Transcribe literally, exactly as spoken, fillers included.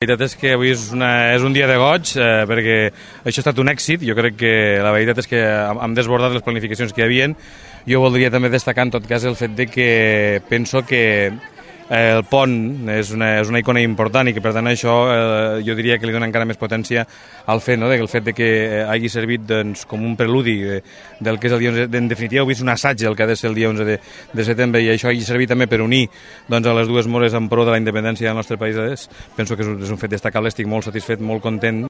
La veritat és que avui és, una, és un dia de goig eh, perquè això ha estat un èxit. Jo crec que la veritat és que hem desbordat les planificacions que hi havia. Jo voldria també destacar en tot cas el fet de que penso que eh, el pont és una, és una icona important i que per tant això eh, jo diria que li dona encara més potència al fet, no? El fet de que hagi servit doncs, com un preludi de, del que és el dia onze. En definitiva, avui és un assaig del que ha de ser el dia onze de, de setembre i això hagi servit també per unir doncs, a les dues mores en pro de la independència del nostre país. Penso que és un, és un fet destacable, estic molt satisfet, molt content.